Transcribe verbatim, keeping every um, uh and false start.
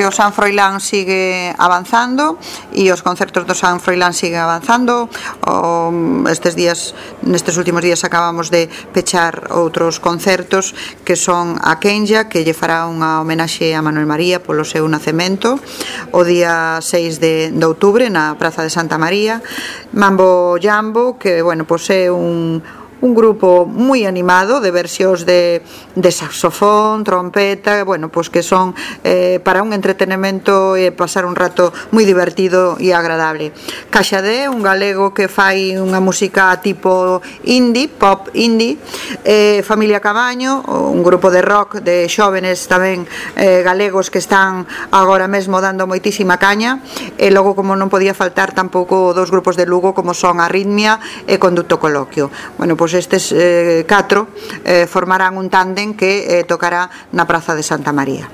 que o San Froilán sigue avanzando e os concertos do San Froilán siguen avanzando. O, estes días, nestes últimos días acabamos de pechar outros concertos que son a Kenya, que lle fará unha homenaxe a Manuel María polo seu nacemento o día seis de, de outubro na Praza de Santa María. Mambo Jambo, que bueno, pois é un un grupo moi animado de versións de, de saxofón, trompeta, bueno, pois que son eh, para un entretenimento e pasar un rato moi divertido e agradable. Caxadé, un galego que fai unha música tipo indie, pop indie. eh, Familia Cabaño, un grupo de rock de xóvenes tamén eh, galegos que están agora mesmo dando moitísima caña. E logo, como non podía faltar tampouco dos grupos de Lugo como son Arritmia e Conducto Coloquio. Bueno, pois estes eh, catro eh, formarán un tándem que eh, tocará na Praza de Santa María.